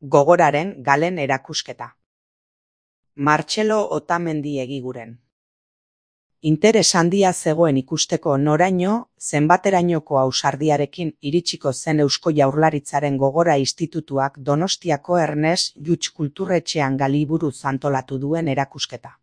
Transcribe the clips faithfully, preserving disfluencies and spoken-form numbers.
Gogoraren Galen erakusketa. Martxelo Otamendi Egiguren. Interes handia zegoen ikusteko noraino, zenbaterainoko ausardiarekin iritsiko zen Eusko Jaurlaritzaren Gogora Institutuak Donostiako Ernest Lluch Kulturretxean galiburuz antolatu duen erakusketa.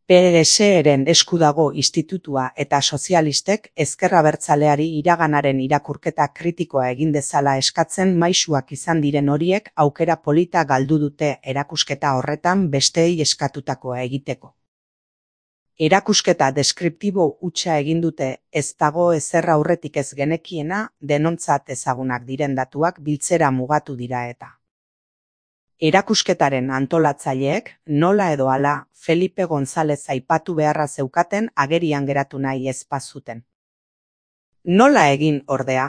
P S eren esku dago institutua eta sozialistek ezker abertzaleari iraganaren irakurketa kritikoa egin dezala eskatzen maisuak izan diren horiek aukera polita galdu dute erakusketa horretan besteei eskatutakoa egiteko. Erakusketa deskriptibo hutsa egin dute, ez dago ezer aurretik ez genekiena, denontzat ezagunak diren datuak biltzera mugatu dira eta. Erakusketaren antolatzaileek, nola edo hala, Felipe González aipatu beharra zeukaten agerian geratu nahi ez bazuten. Nola egin ordea?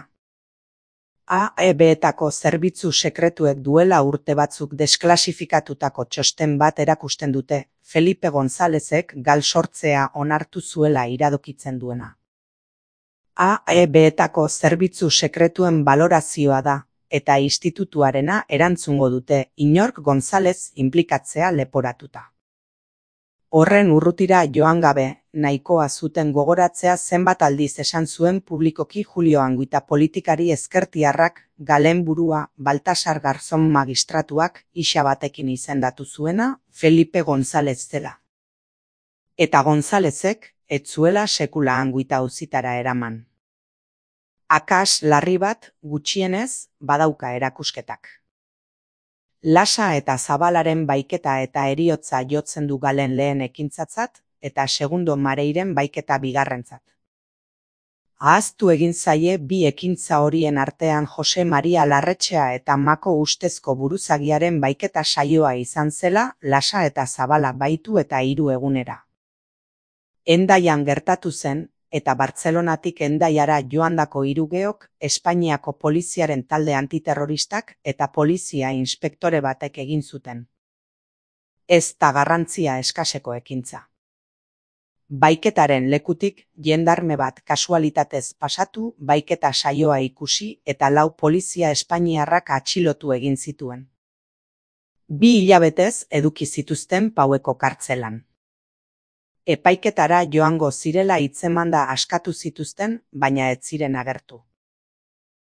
A E B-etako zerbitzu sekretuek duela urte batzuk desklasifikatutako txosten bat erakusten dute, Felipe Gonzálezek gal sortzea onartu zuela iradokitzen duena. A E B-etako zerbitzu sekretuen balorazioa da, eta institutuarena erantzungo dute inork González inplikatzea leporatuta. Horren urrutira joan gabe, nahikoa zuten gogoratzea zenbat aldiz esan zuen publikoki Julio Anguita politikari ezkertiarrak Galen burua Baltasar Garzón magistratuak isa batekin izendatu zuena Felipe González zela. Eta Gonzálezek ez zuela sekula Anguita auzitara eraman. Akas larri bat, gutxienez, badauka erakusketak. Lasa eta Zabalaren baiketa eta heriotza jotzen du Galen lehen ekintzatzat, eta segundo Mareiren baiketa bigarrentzat. Ahaztu egin zaie bi ekintza horien artean Jose Maria Larretxea eta Mako ustezko buruzagiaren baiketa saioa izan zela, Lasa eta Zabala baitu eta hiru egunera. Hendaian gertatu zen, eta Bartzelonatik Hendaiara joandako hirugeok Espainiako poliziaren talde antiterroristak eta polizia inspektore batek egin zuten. Ez da garrantzia eskaseko ekintza. Baiketaren lekutik jendarme bat kasualitatez pasatu, baiketa saioa ikusi eta lau polizia espainiarrak atxilotu egin zituen. Bi hilabetez eduki zituzten Paueko kartzelan. Epaiketara joango zirela hitzemanda askatu zituzten, baina ez ziren agertu.